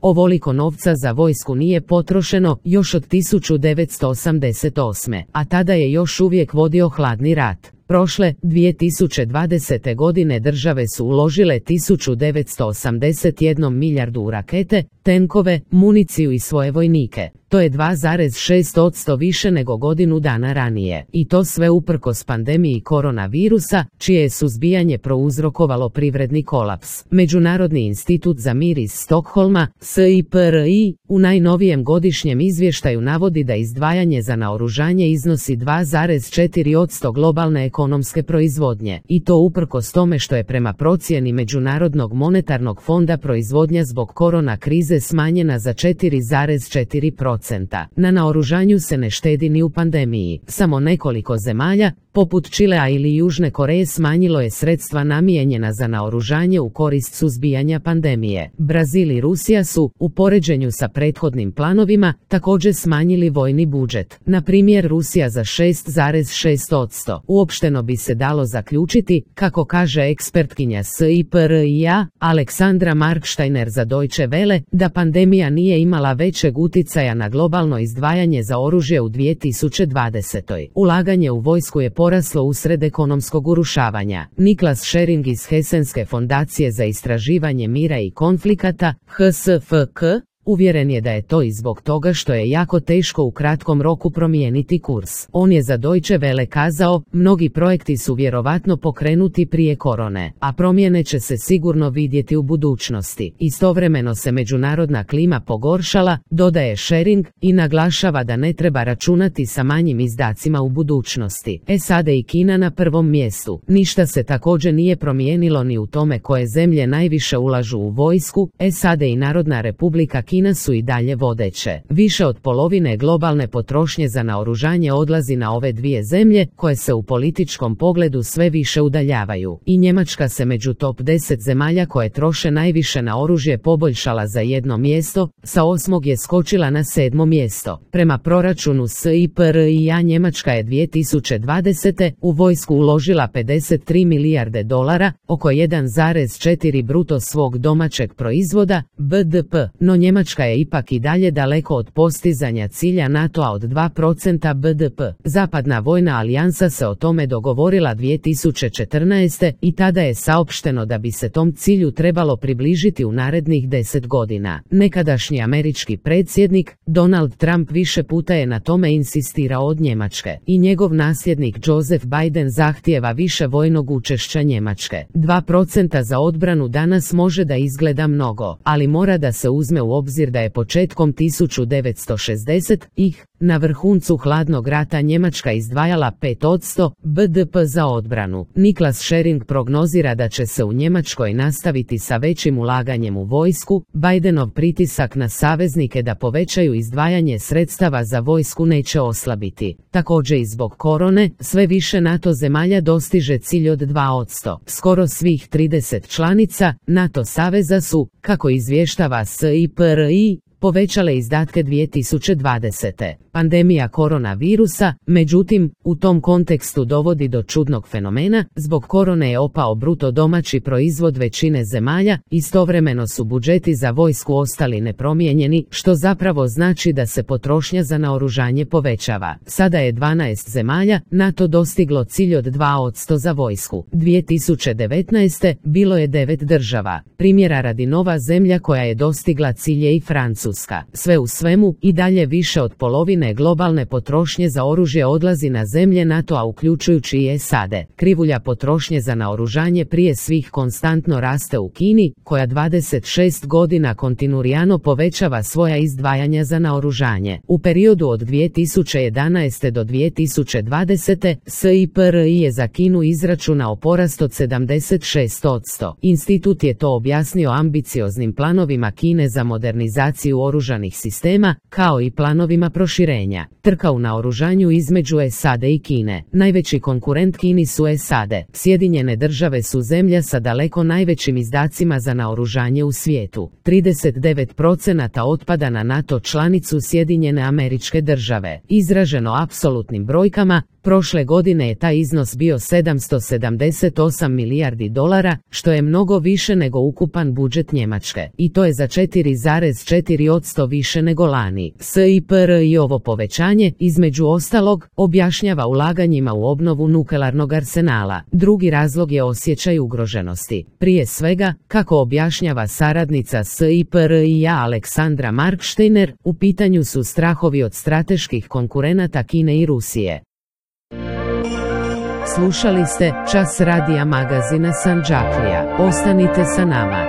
Ovoliko novca za vojsku nije potrošeno još od 1988. a tada je još uvijek vodio hladni rat. Prošle, 2020. godine države su uložile 1981 milijardu u rakete, tenkove, municiju i svoje vojnike. To je 2,6% više nego godinu dana ranije. I to sve uprkos pandemiji koronavirusa, čije je suzbijanje prouzrokovalo privredni kolaps. Međunarodni institut za mir iz Stokholma, SIPRI, u najnovijem godišnjem izvještaju navodi da izdvajanje za naoružanje iznosi 2,4% globalne ekonomske proizvodnje. I to uprkos tome što je prema procjeni Međunarodnog monetarnog fonda proizvodnja zbog korona krize smanjena za 4,4%. Na naoružanju se ne štedi ni u pandemiji. Samo nekoliko zemalja, poput Čilea ili Južne Koreje, smanjilo je sredstva namijenjena za naoružanje u korist suzbijanja pandemije. Brazil i Rusija su, u poređenju sa prethodnim planovima, također smanjili vojni budžet. Na primjer, Rusija za 6,6%. Uopšteno bi se dalo zaključiti, kako kaže ekspertkinja SIPRI-a, Aleksandra Marksteiner za Deutsche Welle, da pandemija nije imala većeg uticaja na globalno izdvajanje za oružje u 2020. Ulaganje u vojsku je poraslo usred ekonomskog urušavanja. Niklas Schering iz Hesenske fondacije za istraživanje mira i konflikata, HSFK, uvjeren je da je to i zbog toga što je jako teško u kratkom roku promijeniti kurs. On je za Deutsche Welle kazao, mnogi projekti su vjerovatno pokrenuti prije korone, a promjene će se sigurno vidjeti u budućnosti. Istovremeno se međunarodna klima pogoršala, dodaje Schering, i naglašava da ne treba računati sa manjim izdacima u budućnosti. SAD i Kina na prvom mjestu. Ništa se također nije promijenilo ni u tome koje zemlje najviše ulažu u vojsku. SAD i Narodna Republika Kina su i dalje vodeće. Više od polovine globalne potrošnje za naoružanje odlazi na ove dvije zemlje, koje se u političkom pogledu sve više udaljavaju. I Njemačka se među top 10 zemalja koje troše najviše na oružje poboljšala za jedno mjesto, sa 8. je skočila na 7. mjesto. Prema proračunu SIPRI-a Njemačka je 2020. u vojsku uložila 53 milijarde dolara, oko 1,4 bruto svog domaćeg proizvoda, BDP, no Njemačka je ipak i dalje daleko od postizanja cilja NATO-a od 2% BDP. Zapadna vojna alijansa se o tome dogovorila 2014. i tada je saopšteno da bi se tom cilju trebalo približiti u narednih 10 godina. Nekadašnji američki predsjednik, Donald Trump, više puta je na tome insistirao od Njemačke. I njegov nasljednik Joseph Biden zahtijeva više vojnog učešća Njemačke. 2% za odbranu danas može da izgleda mnogo, ali mora da se uzme u obzir da je početkom 1960-ih, na vrhuncu hladnog rata, Njemačka izdvajala 5% BDP za odbranu. Niklas Schering prognozira da će se u Njemačkoj nastaviti sa većim ulaganjem u vojsku. Bidenov pritisak na saveznike da povećaju izdvajanje sredstava za vojsku neće oslabiti. Također i zbog korone, sve više NATO zemalja dostiže cilj od 2%. Skoro svih 30 članica NATO saveza su, kako izvještava SIPRI, povećale izdatke 2020. Pandemija koronavirusa, međutim, u tom kontekstu dovodi do čudnog fenomena. Zbog korone je opao bruto domaći proizvod većine zemalja, istovremeno su budžeti za vojsku ostali nepromijenjeni, što zapravo znači da se potrošnja za naoružanje povećava. Sada je 12 zemalja NATO dostiglo cilj od 2% za vojsku. 2019. bilo je 9 država. Primjera radi, nova zemlja koja je dostigla cilj je i Francuska. Sve u svemu, i dalje više od polovine globalne potrošnje za oružje odlazi na zemlje NATO-a, uključujući i SAD. Krivulja potrošnje za naoružanje prije svih konstantno raste u Kini, koja 26 godina kontinuirano povećava svoja izdvajanja za naoružanje. U periodu od 2011. do 2020. SIPRI je za Kinu izračunao porast od 76%. Institut je to objasnio ambicioznim planovima Kine za modernizaciju oružanih sistema, kao i planovima proširenja. Trka u naoružanju između SAD i Kine. Najveći konkurent Kini su SAD. Sjedinjene države su zemlja sa daleko najvećim izdacima za naoružanje u svijetu. 39% otpada na NATO članicu Sjedinjene Američke Države. Izraženo apsolutnim brojkama, Prošle godine je taj iznos bio 778 milijardi dolara, što je mnogo više nego ukupan budžet Njemačke, i to je za 4,4% više nego lani. SIPRI ovo povećanje, između ostalog, objašnjava ulaganjima u obnovu nuklearnog arsenala. Drugi razlog je osjećaj ugroženosti. Prije svega, kako objašnjava saradnica SIPRI-a Aleksandra Marksteiner, u pitanju su strahovi od strateških konkurenata Kine i Rusije. Slušali ste Čas radija magazina Sandžaklija. Ostanite sa nama.